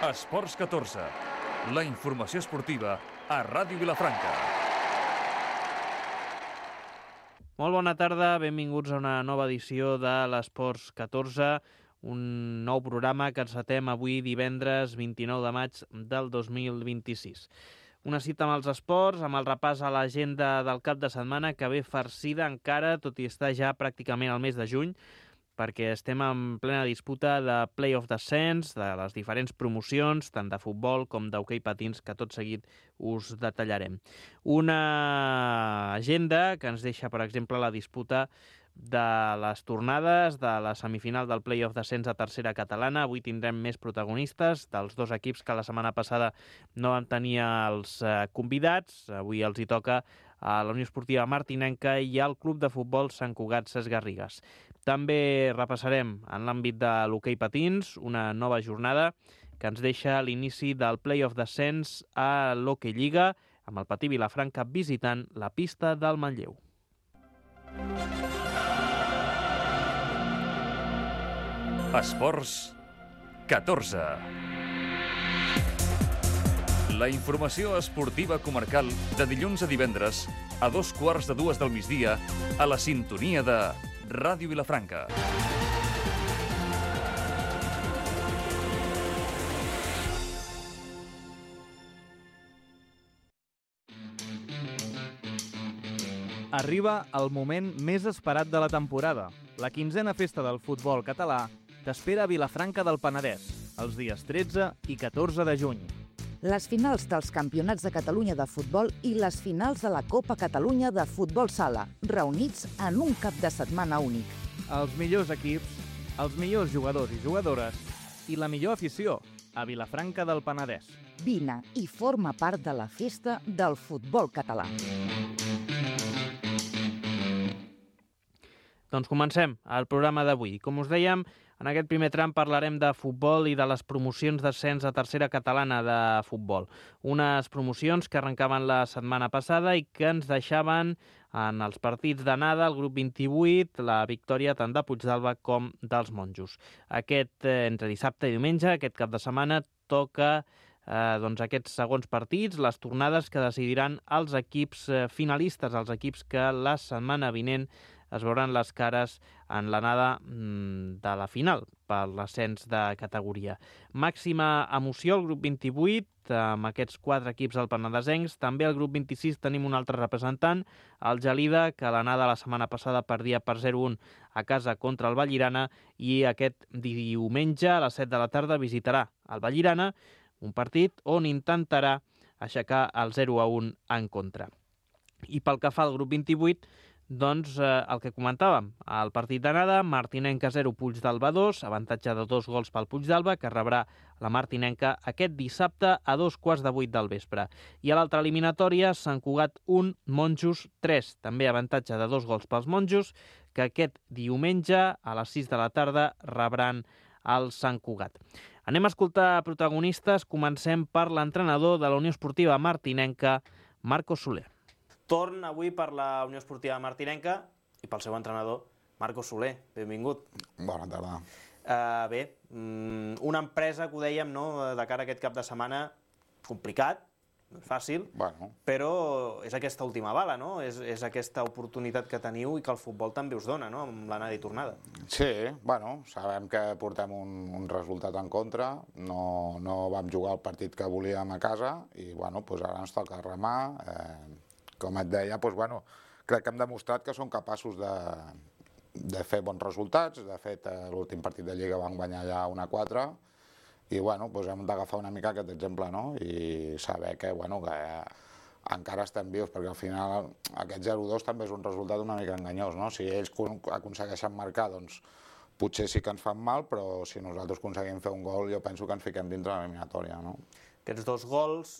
Esports 14, la informació esportiva a Ràdio Vilafranca. Molt bona tarda, benvinguts a una nova edició de l'Esports 14, un nou programa que encetem avui divendres 29 de maig del 2026. Una cita amb els esports, amb el repàs a l'agenda del cap de setmana que ve farcida encara, tot i estar ja pràcticament al mes de juny, perquè estem en plena disputa de Play-off Descens, de les diferents promocions, tant de futbol com d'hoquei patins, que tot seguit us detallarem. Una agenda que ens deixa, per exemple, la disputa de les tornades de la semifinal del Play-off Descens a tercera catalana. Avui tindrem més protagonistes dels dos equips que la setmana passada no van tenir els convidats. Avui els hi toca a la Unió Esportiva Martinenca i al Club de Futbol Sant Cugat Ses Garrigues. També repassarem en l'àmbit de l'hoquei patins una nova jornada que ens deixa l'inici del Play-off Descens a l'Hockey Lliga, amb el Patí Vilafranca visitant la pista del Manlleu. Esports 14. La informació esportiva comarcal de dilluns a divendres a 2:15 del migdia a la sintonia de Ràdio Vilafranca. Arriba el moment més esperat de la temporada. La 15a festa del futbol català t'espera a Vilafranca del Penedès, els dies 13 i 14 de juny. Les finals dels Campionats de Catalunya de futbol i les finals de la Copa Catalunya de futbol sala, reunits en un cap de setmana únic. Els millors equips, els millors jugadors i jugadores i la millor afició a Vilafranca del Penedès. Vine i forma part de la festa del futbol català. Doncs comencem el programa d'avui. Com us dèiem, en aquest primer tram parlarem de futbol i de les promocions d'ascens a tercera catalana de futbol. Unes promocions que arrencaven la setmana passada i que ens deixaven en els partits d'anada, el grup 28, la victòria tant de Puigdàlber com dels Monjos. Entre dissabte i diumenge, aquest cap de setmana, toca aquests segons partits, les tornades que decidiran els equips finalistes, els equips que la setmana vinent es veuran les cares en l'anada de la final per l'ascens de categoria. Màxima emoció al grup 28, amb aquests 4 equips alpenedesencs. També al grup 26 tenim un altre representant, el Gelida, que l'anada la setmana passada perdia per 0-1 a casa contra el Vallirana i aquest diumenge a les 7 de la tarda visitarà el Vallirana, un partit on intentarà aixecar el 0-1 en contra. I pel que fa al grup 28, doncs el que comentàvem, el partit d'anada, Martinenca 0, Puigdàlber 2, avantatge de 2 gols pel Puigdàlber, que rebrà la Martinenca aquest dissabte a 7:15 del vespre. I a l'altra eliminatòria, Sant Cugat 1, Monjos 3, també avantatge de 2 gols pels Monjos, que aquest diumenge a les 6 de la tarda rebran el Sant Cugat. Anem a escoltar protagonistes, comencem per l'entrenador de la Unió Esportiva Martinenca, Marcos Soler. Torn avui per la Unió Esportiva Martinenca i pel seu entrenador, Marcos Soler. Benvingut. Bona tarda. Bé, una empresa que ho dèiem, no?, de cara a aquest cap de setmana, complicat, no és fàcil, però és aquesta última bala, no? És aquesta oportunitat que teniu i que el futbol també us dona, no?, amb l'anada i tornada. Sí, sabem que portem un resultat en contra, no vam jugar el partit que volíem a casa i ara ens toca remar. Com et deia, crec que hem demostrat que som capaços de fer bons resultats. De fet, l'últim partit de Lliga vam guanyar ja 1-4 i hem d'agafar una mica aquest exemple, no? I saber que encara estem vius, perquè al final aquest 0-2 també és un resultat una mica enganyós, no? Si ells aconsegueixen marcar, doncs potser sí que ens fan mal, però si nosaltres aconseguim fer un gol, jo penso que ens fiquem dintre l'eliminatòria, no? Aquests 2 gols,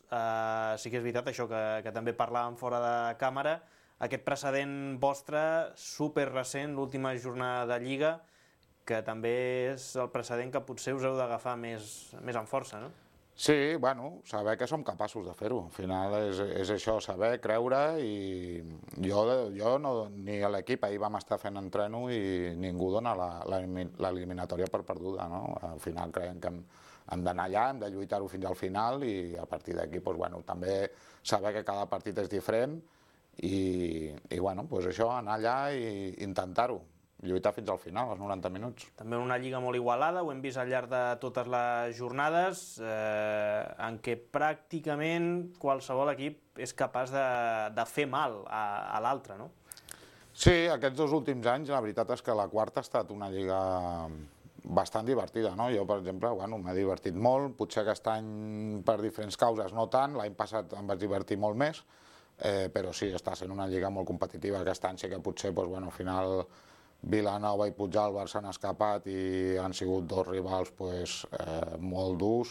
sí que és veritat això que també parlàvem fora de càmera, aquest precedent vostre super recent, l'última jornada de Lliga, que també és el precedent que potser us heu d'agafar més en força, no? Sí, bueno, saber que som capaços de fer-ho. Al final és això, saber, creure, i jo no, ni a l'equip, ahir vam estar fent entreno i ningú dona l'eliminatòria per perduda, no? Al final creiem que hem d'anar allà, hem de lluitar-ho fins al final i a partir d'aquí, doncs, bueno, també saber que cada partit és diferent i bueno, doncs això, anar allà i intentar-ho. Lluitar fins al final, als 90 minuts. També una lliga molt igualada, ho hem vist al llarg de totes les jornades, en què pràcticament qualsevol equip és capaç de fer mal a l'altre, no? Sí, aquests 2 últims anys la veritat és que la quarta ha estat una lliga bastant divertida, no? Jo, per exemple, bueno, m'he divertit molt, potser aquest any per diferents causes no tant, l'any passat em vaig divertir molt més, però sí, està sent una lliga molt competitiva. Aquest any sí que potser, doncs, bueno, al final Vilanova i Puigdàlber s'han escapat i han sigut 2 rivals molt durs,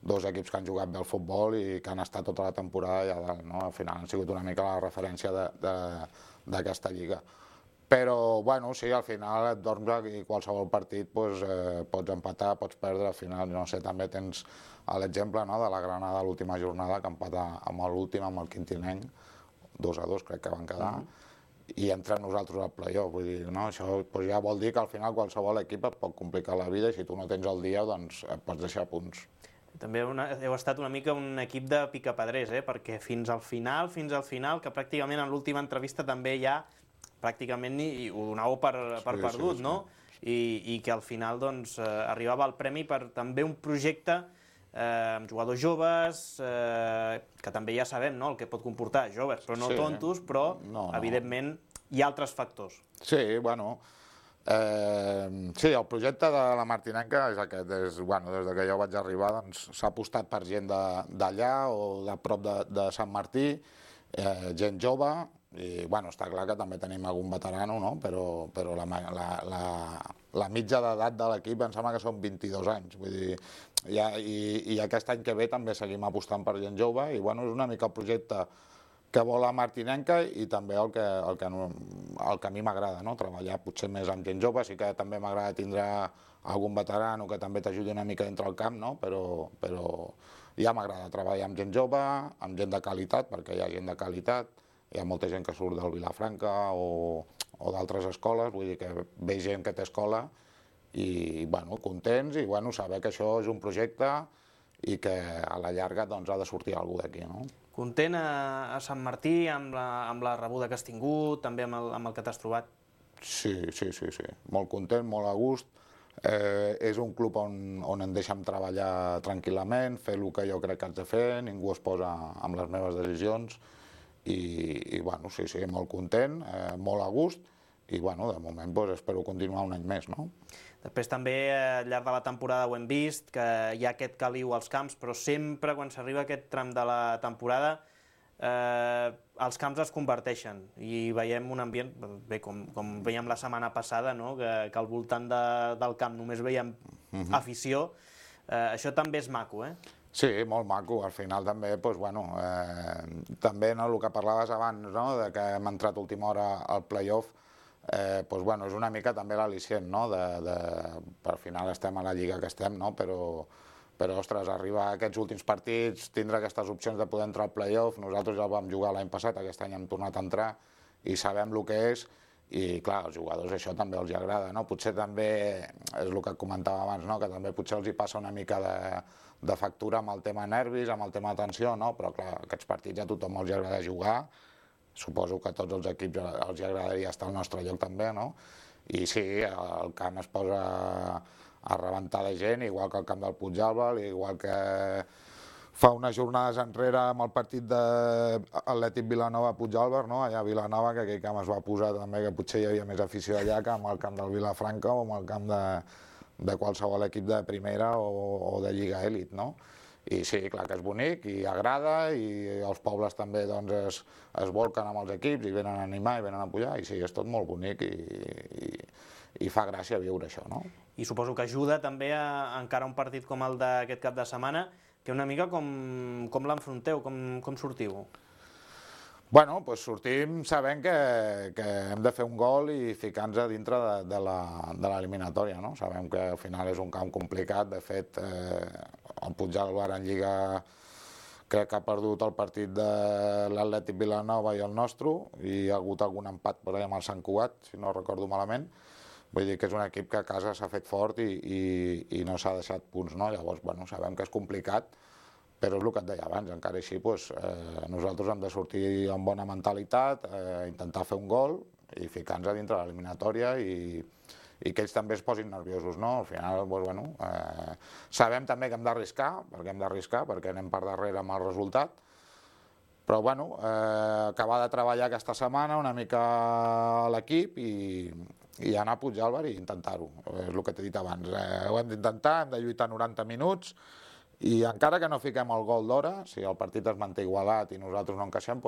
2 equips que han jugat bé al futbol i que han estat tota la temporada allà dalt, no? Al final han sigut una mica la referència d'aquesta lliga. Però, bueno, sí, al final et dorms i qualsevol partit pots empatar, pots perdre, al final, no sé, també tens l'exemple de la Granada a l'última jornada, que empata amb l'últim, amb el Quintinenc, 2-2 crec que van quedar, i entrem nosaltres al play-off, vull dir, no? Això ja vol dir que al final qualsevol equip et pot complicar la vida i si tu no tens el dia, doncs et pots deixar punts. També heu estat una mica un equip de picapedrers, perquè fins al final, que pràcticament en l'última entrevista també ja pràcticament ho donàveu per perdut, no? I que al final doncs arribava el premi per també un projecte amb jugadors joves, que també ja sabem el que pot comportar, joves, però no tontos, però evidentment hi ha altres factors. Sí, bueno, sí, el projecte de la Martinenca és aquest, des que jo vaig arribar s'ha apostat per gent d'allà o de prop de Sant Martí, gent jove, i bueno, està clar que també tenim algun veterano, no? Però la mitja d'edat de l'equip em sembla que són 22 anys, vull dir, i aquest any que ve també seguim apostant per gent jove i bueno, és una mica el projecte que vol la Martinenca i també el que a mi m'agrada, no? Treballar potser més amb gent jove, sí que també m'agrada tindre algun veterano que també t'ajudi una mica dintre el camp, no? Però ja m'agrada treballar amb gent jove, amb gent de qualitat, perquè hi ha gent de qualitat, hi ha molta gent que surt del Vilafranca o d'altres escoles, vull dir que ve gent que té escola i bueno, contents i bueno, saber que això és un projecte i que a la llarga doncs, ha de sortir algú d'aquí, no? Content a Sant Martí amb la rebuda que has tingut, també amb el que t'has trobat? Sí, molt content, molt a gust. És un club on em deixen treballar tranquil·lament, fer el que jo crec que haig de fer, ningú es posa amb les meves decisions i bueno, sí, molt content, molt a gust i bueno, de moment espero continuar un any més, no? Després també al llarg de la temporada ho hem vist, que hi ha aquest caliu als camps, però sempre quan s'arriba aquest tram de la temporada els camps es converteixen i veiem un ambient, bé, com veiem la setmana passada, no? Que al voltant del camp només veiem afició, això també és maco, Sí, molt maco. Al final també, doncs, bueno, també el que parlaves abans, no? De que hem entrat a última hora al play-off, doncs, bueno, és una mica també l'al·licient, no? Al final estem a la lliga que estem, no? Però, ostres, arribar a aquests últims partits, tindre aquestes opcions de poder entrar al play-off, nosaltres ja el vam jugar l'any passat, aquest any hem tornat a entrar i sabem el que és, i clar, als jugadors això també els agrada, no? Potser també, és el que comentava abans, no? Que també potser els hi passa una mica de factura amb el tema nervis, amb el tema tensió, no? Però clar, aquests partits a tothom els agrada jugar, suposo que a tots els equips els agradaria estar al nostre lloc també, no? I sí, el camp es posa a rebentar de gent, igual que el camp del Puigdàlber, igual que fa unes jornades enrere amb el partit d'Atlètic Vilanova-Puigdàlber, no? Allà a Vilanova, que aquell camp es va posar també, que potser hi havia més afició allà que amb el camp del Vilafranca o amb el camp de qualsevol equip de primera o de Lliga Elit, no? I sí, clar que és bonic i agrada i els pobles també doncs, es volquen amb els equips i venen a animar i venen a pujar i sí, és tot molt bonic i fa gràcia viure això, no? I suposo que ajuda també a encara un partit com el d'aquest cap de setmana, que una mica com l'enfronteu, com sortiu? Bueno, doncs sortim sabent que hem de fer un gol i ficar-nos a dintre de l'eliminatòria, no? Sabem que al final és un camp complicat, de fet el Puigdàlber en Lliga crec que ha perdut el partit de l'Atlètic Vilanova i el nostre, i hi ha hagut algun empat per allà amb el Sant Cugat, si no recordo malament. Vull dir que és un equip que a casa s'ha fet fort i no s'ha deixat punts, no? Llavors, bueno, sabem que és complicat, però és el que et deia abans, encara així nosaltres hem de sortir amb bona mentalitat, intentar fer un gol i ficar-nos a dintre de l'eliminatòria i que ells també es posin nerviosos, no? Al final, sabem també que hem d'arriscar, perquè anem per darrere amb el resultat, però acabar de treballar aquesta setmana una mica a l'equip i anar a Puigdàlber i intentar-ho, és el que t'he dit abans. Ho hem d'intentar, hem de lluitar 90 minuts, i encara que no fiquem el gol d'hora, si el partit es manté igualat i nosaltres no encaixem,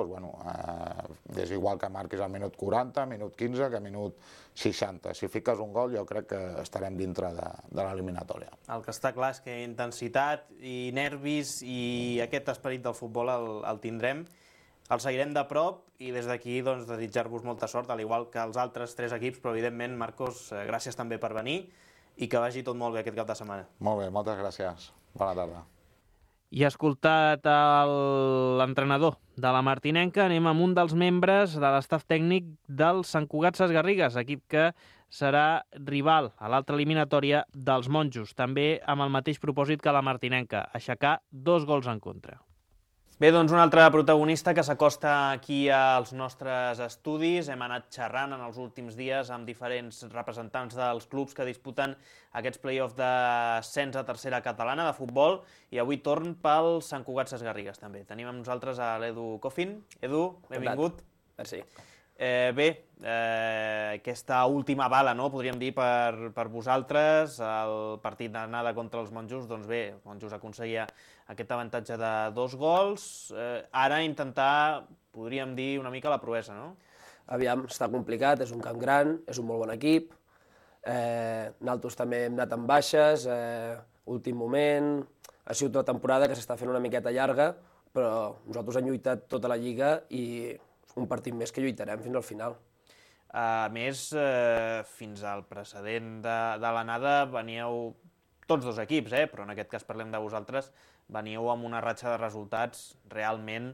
és igual que marquis al minut 40, minut 15, que minut 60. Si fiques un gol jo crec que estarem dintre de l'eliminatòria. El que està clar és que intensitat i nervis i aquest esperit del futbol el tindrem. El seguirem de prop i des d'aquí desitjar-vos molta sort, al igual que els altres 3 equips, però evidentment, Marcos, gràcies també per venir i que vagi tot molt bé aquest cap de setmana. Molt bé, moltes gràcies. Bona tarda. I escoltat l'entrenador de la Martinenca, anem amb un dels membres de l'estaf tècnic del Sant Cugat Sesgarrigues, equip que serà rival a l'altra eliminatòria dels monjos, també amb el mateix propòsit que la Martinenca, aixecar 2 gols en contra. Bé, doncs un altre protagonista que s'acosta aquí als nostres estudis. Hem anat xerrant en els últims dies amb diferents representants dels clubs que disputen aquests play-offs d'ascens a tercera catalana de futbol i avui torn pel Sant Cugat Sesgarrigues també. Tenim amb nosaltres a l'Edu Coffin. Edu, benvingut. Merci. Aquesta última bala, no, podríem dir, per vosaltres, el partit d'anada contra els monjos, doncs bé, els monjos aconseguia aquest avantatge de 2 gols, ara intentar, podríem dir, una mica la proesa, no? Aviam, està complicat, és un camp gran, és un molt bon equip, nosaltres també hem anat amb baixes, últim moment, ha sigut una temporada que s'està fent una miqueta llarga, però nosaltres hem lluitat tota la Lliga i un partit més que lluitarem fins al final. A més, fins al precedent de l'anada veníeu tots 2 equips, però en aquest cas parlem de vosaltres, veníeu amb una ratxa de resultats realment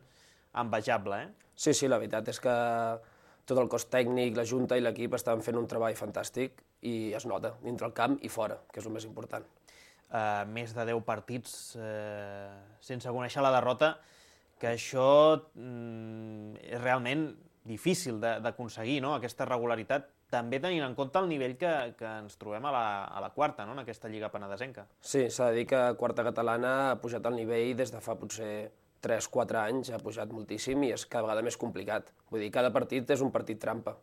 envejable, Sí, la veritat és que tot el cos tècnic, la junta i l'equip estan fent un treball fantàstic i es nota, dintre el camp i fora, que és el més important. Més de 10 partits sense conèixer la derrota, que això és realment difícil d'aconseguir, no? Aquesta regularitat, també tenint en compte el nivell que ens trobem a la quarta, no? En aquesta Lliga Penedesenca. Sí, s'ha de dir que quarta catalana ha pujat el nivell des de fa potser 3-4 anys, ha pujat moltíssim i és cada vegada més complicat. Vull dir, cada partit és un partit trampa.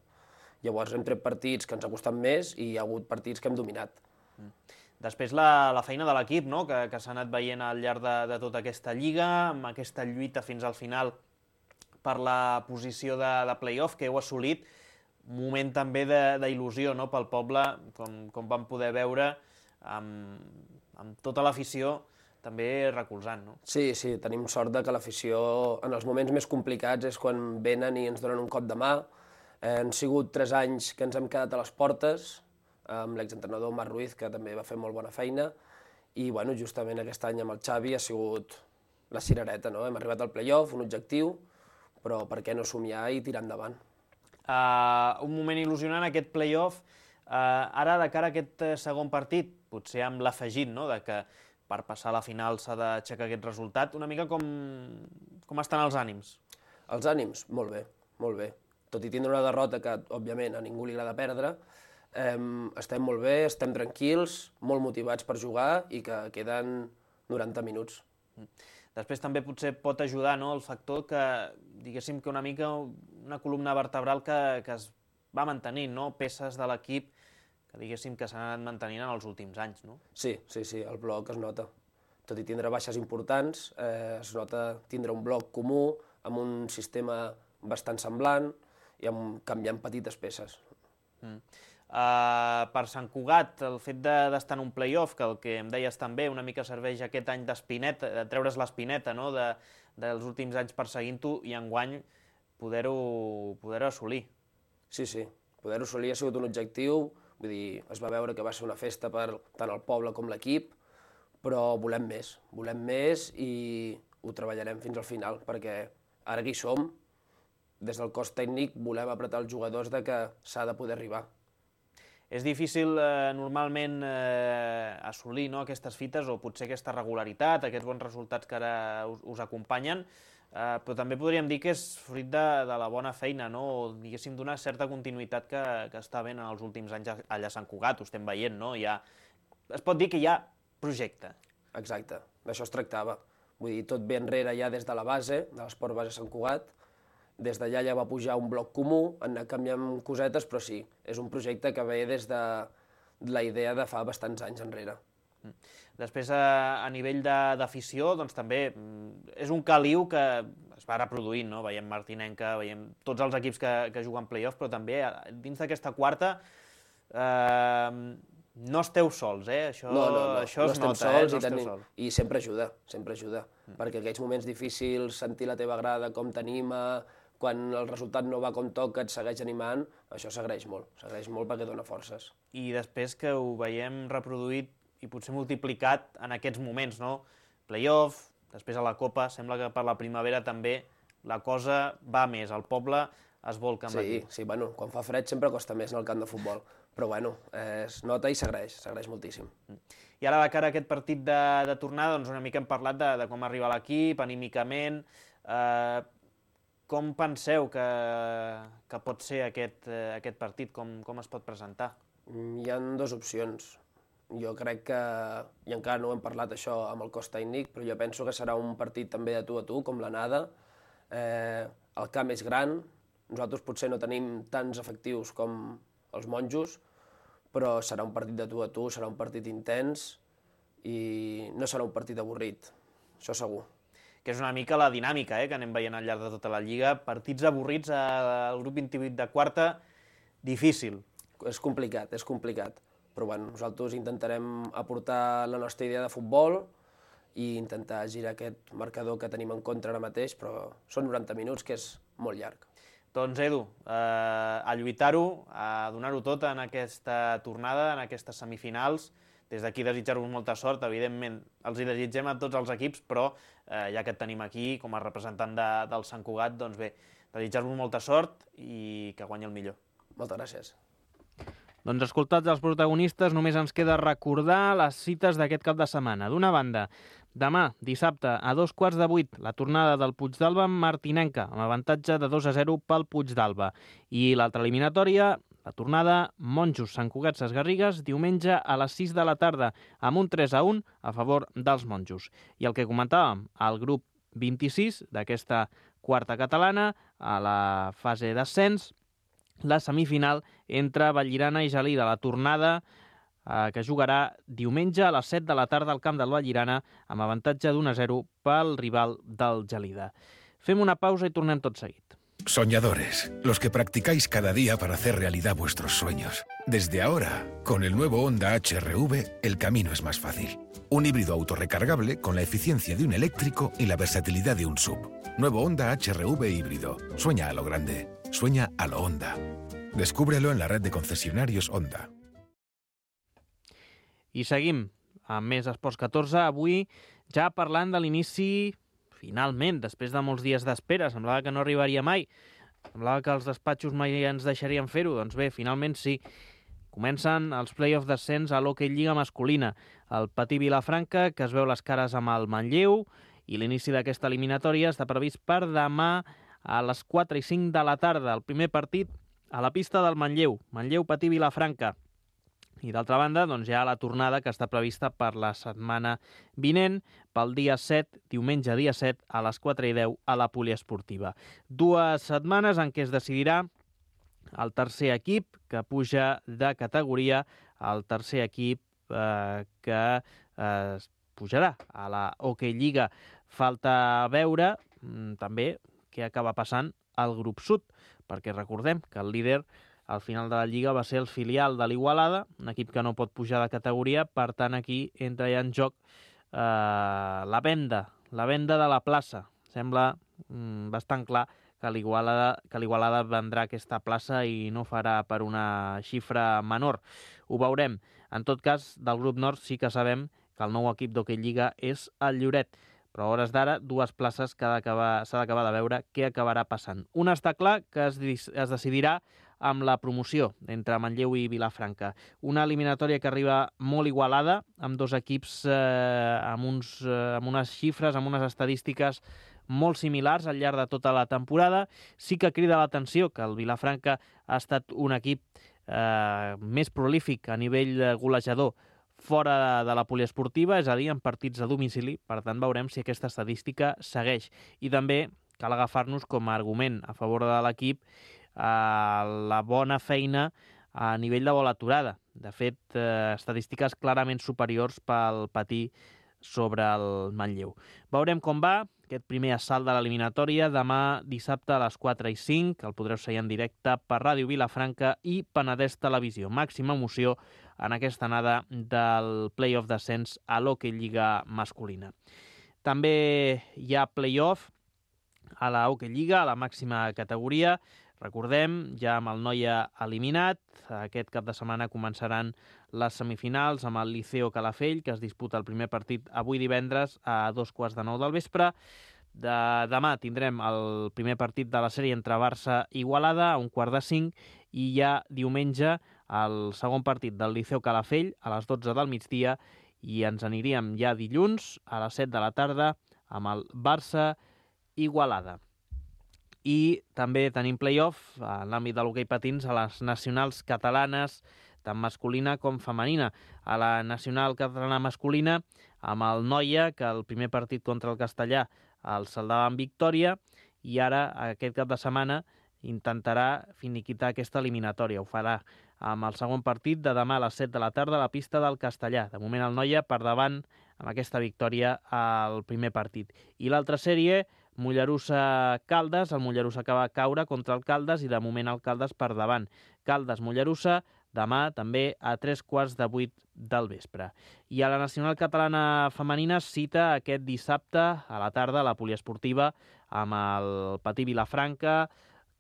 Llavors hem tret partits que ens ha costat més i hi ha hagut partits que hem dominat. Després la feina de l'equip, no? Que s'ha anat veient al llarg de tota aquesta lliga, amb aquesta lluita fins al final per la posició de play-off que heu assolit, un moment també d'il·lusió, no? Pel poble, com vam poder veure, amb tota l'afició també recolzant, no? Sí, tenim sort que l'afició en els moments més complicats és quan venen i ens donen un cop de mà. Han sigut 3 anys que ens hem quedat a les portes, amb l'exentrenador Marc Ruiz, que també va fer molt bona feina, i justament aquest any amb el Xavi ha sigut la cirereta, no? Hem arribat al play-off, un objectiu, però per què no somiar i tirar endavant? Un moment il·lusionant, aquest play-off, ara de cara a aquest segon partit, potser amb l'afegit, no?, de que per passar a la final s'ha d'aixecar aquest resultat, una mica com estan els ànims? Els ànims? Molt bé, molt bé. Tot i tindre una derrota que, òbviament, a ningú li agrada perdre, estem molt bé, estem tranquils, molt motivats per jugar i que queden 90 minuts. Després també potser pot ajudar, no?, el factor que, diguéssim que una mica una columna vertebral que es va mantenint, no?, peces de l'equip que diguéssim que s'han anat mantenint en els últims anys, no? Sí, el bloc es nota. Tot i tindre baixes importants, es nota tindre un bloc comú, amb un sistema bastant semblant i canviant petites peces. Per Sant Cugat, el fet d'estar en un play-off, que el que em deies també una mica serveix aquest any d'espineta, de treure's l'espineta, no?, dels últims anys perseguint-ho i enguany poder-ho assolir. Sí, poder-ho assolir ha sigut un objectiu, vull dir, es va veure que va ser una festa per tant el poble com l'equip, però volem més i ho treballarem fins al final, perquè ara que hi som, des del cos tècnic volem apretar els jugadors de que s'ha de poder arribar. És difícil normalment assolir aquestes fites o potser aquesta regularitat, aquests bons resultats que ara us acompanyen, però també podríem dir que és fruit de la bona feina, o diguéssim d'una certa continuïtat que està havent en els últims anys allà a Sant Cugat, ho estem veient, no? Es pot dir que hi ha projecte. Exacte, d'això es tractava. Vull dir, tot ve enrere ja des de la base, de l'esport base Sant Cugat. Des d'allà ja va pujar un bloc comú, han anat canviant cosetes, però sí, és un projecte que ve des de la idea de fa bastants anys enrere. Després, a nivell d'afició, doncs també és un caliu que es va reproduint, no? Veiem Martinenca, veiem tots els equips que juguen play-off, però també dins d'aquesta quarta no esteu sols, Això es nota, I sempre ajuda, perquè aquells moments difícils, sentir la teva grada, com t'anima, quan el resultat no va com toca, et segueix animant, això s'agraeix molt perquè dona forces. I després que ho veiem reproduït i potser multiplicat en aquests moments, no? Play-off, després a la Copa, sembla que per la primavera també la cosa va més, el poble es volca amb l'equip. Sí, bueno, quan fa fred sempre costa més en el camp de futbol, però bueno, es nota i s'agraeix moltíssim. I ara de cara a aquest partit de tornada, doncs una mica hem parlat de com arriba l'equip, anímicament. Com penseu que pot ser aquest partit? Com es pot presentar? Hi ha dues opcions. Jo crec que, i encara no ho hem parlat això amb el cos tècnic, però jo penso que serà un partit també de tu a tu, com l'anada. El camp és gran, nosaltres potser no tenim tants efectius com els monjos, però serà un partit de tu a tu, serà un partit intens i no serà un partit avorrit, això segur. Que és una mica la dinàmica que anem veient al llarg de tota la Lliga. Partits avorrits al grup 28 de quarta, difícil. És complicat, però bueno, nosaltres intentarem aportar la nostra idea de futbol i intentar girar aquest marcador que tenim en contra ara mateix, però són 90 minuts, que és molt llarg. Doncs Edu, a lluitar-ho, a donar-ho tot en aquesta tornada, en aquestes semifinals. Des d'aquí desitjar-vos molta sort, evidentment els hi desitgem a tots els equips, però ja que et tenim aquí com a representant del Sant Cugat, doncs bé, desitjar-vos molta sort i que guanyi el millor. Moltes gràcies. Doncs escoltats els protagonistes, només ens queda recordar les cites d'aquest cap de setmana. D'una banda, demà, dissabte, a 7:15, la tornada del Puigdàlber amb Martinenca, amb avantatge de 2-0 pel Puigdàlber. I l'altra eliminatòria, la tornada Monjos Sant Cugat Ses Garrigues, diumenge a les 6 de la tarda, amb un 3-1 a favor dels monjos. I el que comentàvem, el grup 26 d'aquesta quarta catalana, a la fase d'ascens, la semifinal entre Vallirana i Gelida, la tornada que jugarà diumenge a les 7 de la tarda al camp del Vallirana amb avantatge d'1-0 pel rival del Gelida. Fem una pausa i tornem tot seguit. Soñadores, los que practicáis cada día para hacer realidad vuestros sueños. Desde ahora, con el nuevo Honda HR-V, el camino es más fácil. Un híbrido autorrecargable con la eficiencia de un eléctrico y la versatilidad de un SUV. Nuevo Honda HR-V híbrido. Sueña a lo grande. Sueña a lo Honda. Descúbrelo en la red de concesionarios Honda. I seguim amb més Esports 14. Avui ja parlant de l'inici, finalment, després de molts dies d'espera. Semblava que no arribaria mai. Semblava que els despatxos mai ens deixarien fer-ho. Doncs bé, finalment sí. Comencen els play-off d'ascens a l'Hockey Lliga masculina. El Patí Vilafranca, que es veu les cares amb el Manlleu, i l'inici d'aquesta eliminatòria està previst per demà a les 4 i 5 de la tarda. El primer partit a la pista del Manlleu. Manlleu-Patí Vilafranca. I d'altra banda, doncs hi ha la tornada que està prevista per la setmana vinent, pel dia 7, diumenge dia 7, a les 4:10 a la poliesportiva. 2 setmanes en què es decidirà el tercer equip que puja de categoria, el tercer equip que pujarà a la Hockey Lliga. Falta veure també què acaba passant al grup sud, perquè recordem que el líder al final de la Lliga va ser el filial de l'Igualada, un equip que no pot pujar de categoria, per tant aquí entra ja en joc la venda de la plaça. Sembla bastant clar que l'Igualada vendrà aquesta plaça i no farà per una xifra menor. Ho veurem. En tot cas, del grup nord sí que sabem que el nou equip d'Hockey Lliga és el Lloret. Però a hores d'ara, 2 places que s'ha d'acabar de veure què acabarà passant. Una està clar, que es decidirà amb la promoció entre Manlleu i Vilafranca. Una eliminatòria que arriba molt igualada, amb 2 equips amb unes xifres, amb unes estadístiques molt similars al llarg de tota la temporada. Sí que crida l'atenció que el Vilafranca ha estat un equip més prolífic a nivell golejador fora de la poliesportiva, és a dir, en partits a domicili. Per tant, veurem si aquesta estadística segueix. I també cal agafar-nos com a argument a favor de l'equip la bona feina a nivell de bola aturada. De fet, estadístiques clarament superiors pel Patí sobre el Manlleu. Veurem com va aquest primer assalt de l'eliminatòria demà dissabte a les 4:05. El podreu seguir en directe per Ràdio Vilafranca i Penedès Televisió. Màxima emoció en aquesta anada del play-off d'ascens a l'Hockey Lliga masculina. També hi ha play-off a la Hockey Lliga, a la màxima categoria. Recordem, ja amb el Noia eliminat, aquest cap de setmana començaran les semifinals amb el Liceo Calafell, que es disputa el primer partit avui divendres a 2:15 del vespre. Demà tindrem el primer partit de la sèrie entre Barça i Igualada a 4:45 i ja diumenge el segon partit del Liceo Calafell a les 12 del migdia i ens aniríem ja dilluns a les 7 de la tarda amb el Barça Igualada. I també tenim play-off en l'àmbit de l'hoquei patins a les nacionals catalanes, tant masculina com femenina. A la nacional catalana masculina, amb el Noia, que el primer partit contra el Castellà el saldava en victòria, i ara, aquest cap de setmana, intentarà finiquitar aquesta eliminatòria. Ho farà amb el segon partit de demà a les 7 de la tarda a la pista del Castellà. De moment el Noia per davant amb aquesta victòria al primer partit. I l'altra sèrie, Mollerussa-Caldes. El Mollerussa acaba de caure contra el Caldes i de moment el Caldes per davant. Caldes-Mollerussa demà també a 7:45 del vespre. I a la nacional catalana femenina cita aquest dissabte a la tarda a la poliesportiva amb el Patí Vilafranca,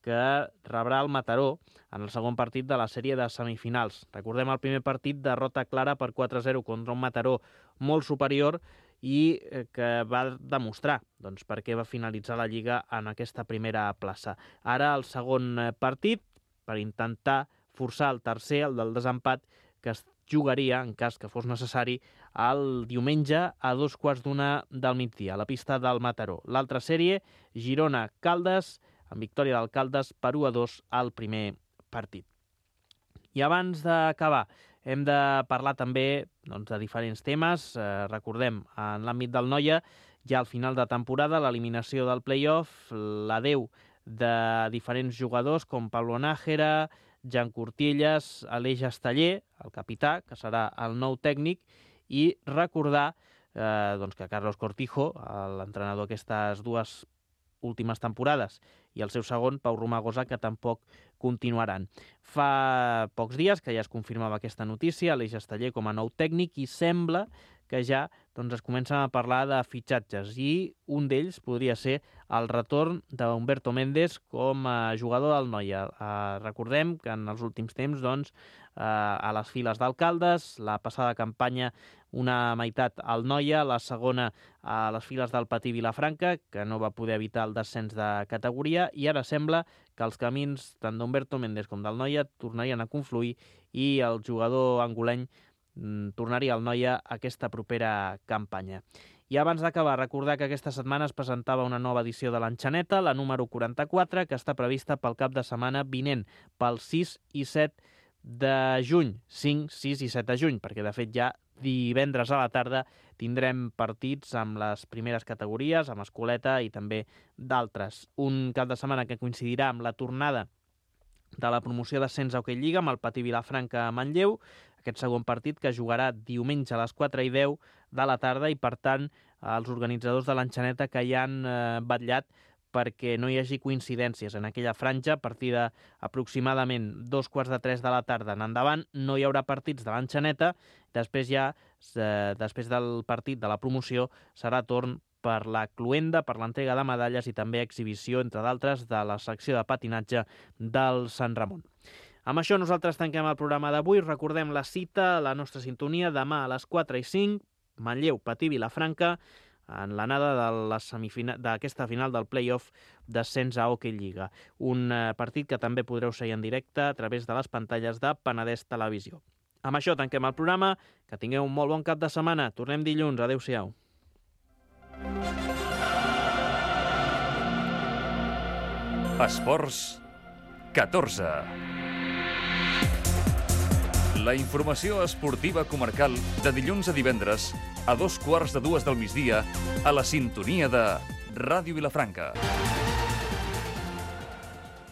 que rebrà el Mataró en el segon partit de la sèrie de semifinals. Recordem el primer partit, derrota clara per 4-0 contra un Mataró molt superior i que va demostrar per què va finalitzar la Lliga en aquesta primera plaça. Ara el segon partit, per intentar forçar el tercer, el del desempat, que es jugaria, en cas que fos necessari, el diumenge a 2:15 del migdia, a la pista del Mataró. L'altra sèrie, Girona-Caldes, amb victòria del Caldes per 1-2 al primer partit. I abans d'acabar, hem de parlar també de diferents temes. Recordem, en l'àmbit del Noia, ja al final de temporada, l'eliminació del play-off, l'adeu de diferents jugadors com Pablo Nájera, Jan Cortielles, Aleix Esteller, el capità, que serà el nou tècnic, i recordar que Carlos Cortijo, l'entrenador aquestes 2 últimes temporades, i el seu segon, Pau Romagosa, que tampoc continuaran. Fa pocs dies que ja es confirmava aquesta notícia, Aleix Esteller com a nou tècnic, i sembla que ja es comencen a parlar de fitxatges, i un d'ells podria ser el retorn d'Humberto Méndez com a jugador del Noia. Recordem que en els últims temps, a les files d'Alcaldes, la passada campanya una meitat al Noia, la segona a les files del Patí Vilafranca, que no va poder evitar el descens de categoria, i ara sembla que els camins tant d'Humberto Méndez com del Noia tornarien a confluir i el jugador angoleny tornaria al Noia aquesta propera campanya. I abans d'acabar, recordar que aquesta setmana es presentava una nova edició de l'Enxaneta, la número 44, que està prevista pel cap de setmana vinent, pel 6 i 7 de juny, 5, 6 i 7 de juny, perquè de fet ja divendres a la tarda tindrem partits amb les primeres categories, amb Escoleta i també d'altres. Un cap de setmana que coincidirà amb la tornada de la promoció d'ascens a Hockey Lliga amb el Patí Vilafranca a Manlleu, aquest segon partit que jugarà diumenge a les 4:10 de la tarda, i per tant els organitzadors de l'Enxaneta que ja han vetllat perquè no hi hagi coincidències en aquella franja. A partir d'aproximadament 2:15 de la tarda en endavant no hi haurà partits de l'Enxaneta. Després després del partit de la promoció serà torn per la cloenda, per l'entrega de medalles i també exhibició, entre d'altres, de la secció de patinatge del Sant Ramon. Amb això nosaltres tanquem el programa d'avui. Recordem la cita, la nostra sintonia, demà a les 4:05, Manlleu, Patí, Vilafranca, en l'anada d'aquesta final del play-off d'ascens a Hockey Lliga. Un partit que també podreu seguir en directe a través de les pantalles de Penedès Televisió. Amb això tanquem el programa. Que tingueu un molt bon cap de setmana. Tornem dilluns. Adéu-siau. Esports 14. La informació esportiva comarcal de dilluns a divendres a 2:15 del migdia a la sintonia de Ràdio Vilafranca.